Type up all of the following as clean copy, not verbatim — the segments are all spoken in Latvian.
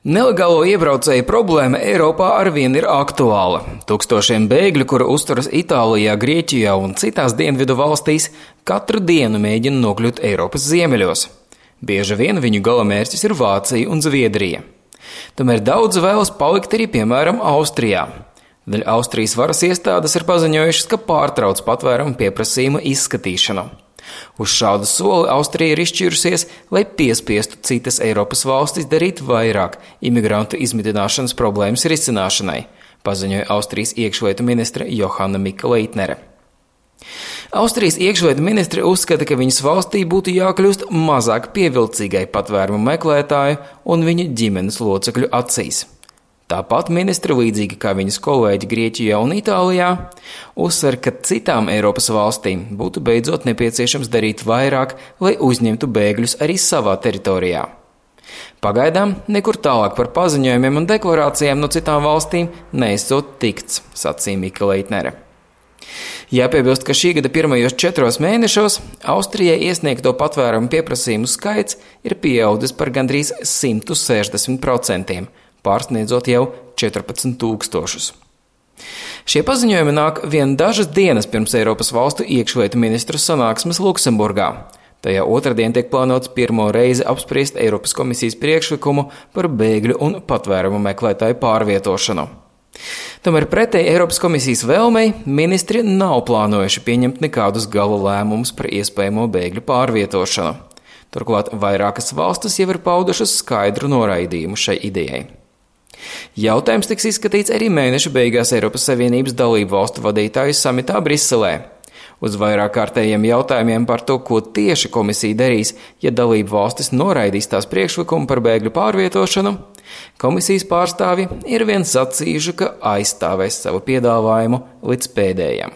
Nelegālo iebraucēju problēma Eiropā arvien ir aktuāla. Tūkstošiem bēgļu, kuri uzturas Itālijā, Grieķijā un citās dienvidu valstīs, katru dienu mēģina nokļūt Eiropas ziemeļos. Bieži vien viņu galamērķis ir Vācija un Zviedrija. Tomēr daudz vēlas palikt arī, piemēram, Austrijā. Daļa Austrijas varas iestādes ir paziņojušas, ka pārtrauc patvērumu pieprasījuma izskatīšanu. Uz šādu soli Austrija ir izšķīrusies, lai piespiestu citas Eiropas valstis darīt vairāk imigrantu izmitināšanas problēmas risināšanai, paziņoja Austrijas iekšlietu ministre Johanna Mika-Leitnere. Austrijas iekšlietu ministre uzskata, ka viņas valstī būtu jākļūst mazāk pievilcīgai patvērumu meklētāju un viņa ģimenes locekļu acīs. Tāpat ministre, līdzīgi kā viņas kolēģi Grieķijā un Itālijā, uzsver, ka citām Eiropas valstīm būtu beidzot nepieciešams darīt vairāk, lai uzņemtu bēgļus arī savā teritorijā. Pagaidām nekur tālāk par paziņojumiem un deklarācijām no citām valstīm neesot tikts, sacīja Mika-Leitnere. Jāpiebilst, ka šī gada pirmajos 4 mēnešos Austrijai iesniegto patvērumu pieprasījumu skaits ir pieaudzis par gandrīz 160%, pārsniedzot jau 14 000. Šie paziņojumi nāk vien dažas dienas pirms Eiropas valstu iekšlietu ministru sanāksmes Luksemburgā. Tajā otrdien tiek plānots pirmo reizi apspriest Eiropas komisijas priekšlikumu par bēgļu un patvērumu meklētāju pārvietošanu. Tomēr pretēji Eiropas komisijas vēlmei ministri nav plānojuši pieņemt nekādus gala lēmumus par iespējamo bēgļu pārvietošanu. Turklāt vairākas valstis jau ir paudušas skaidru noraidījumu šai idejai. Jautājums tiks izskatīts arī mēneša beigās Eiropas Savienības dalību valstu vadītāju samitā Briselē. Uz vairāk kārtējiem jautājumiem par to, ko tieši komisija darīs, ja dalību valstis noraidīs tās priekšlikumu par bēgļu pārvietošanu, komisijas pārstāvji ir vien sacījuši, ka aizstāvēs savu piedāvājumu līdz pēdējam.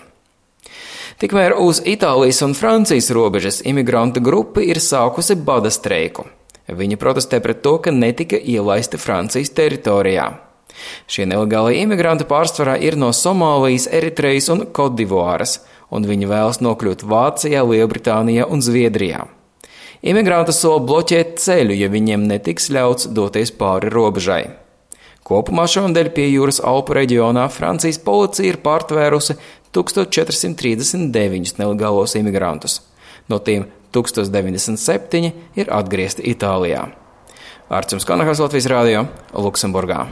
Tikmēr uz Itālijas un Francijas robežas imigrantu grupa ir sākusi bada streiku. Viņi protestē pret to, ka netika ielaisti Francijas teritorijā. Šie nelegālie imigranti pārsvarā ir no Somālijas, Eritrejas un Kodivuāras, un viņi vēlas nokļūt Vācijā, Lielbritānijā un Zviedrijā. Imigranti sola bloķēt ceļu, ja viņiem netiks ļauts doties pāri robežai. Kopumā šonadēļ pie jūras Alpu reģionā Francijas policija ir pārtvērusi 1439 nelegālos imigrantus. No tiem 1097 ir atgriezti Itālijā. Arcums Kanahas, Latvijas Rādio, Luksemburgā.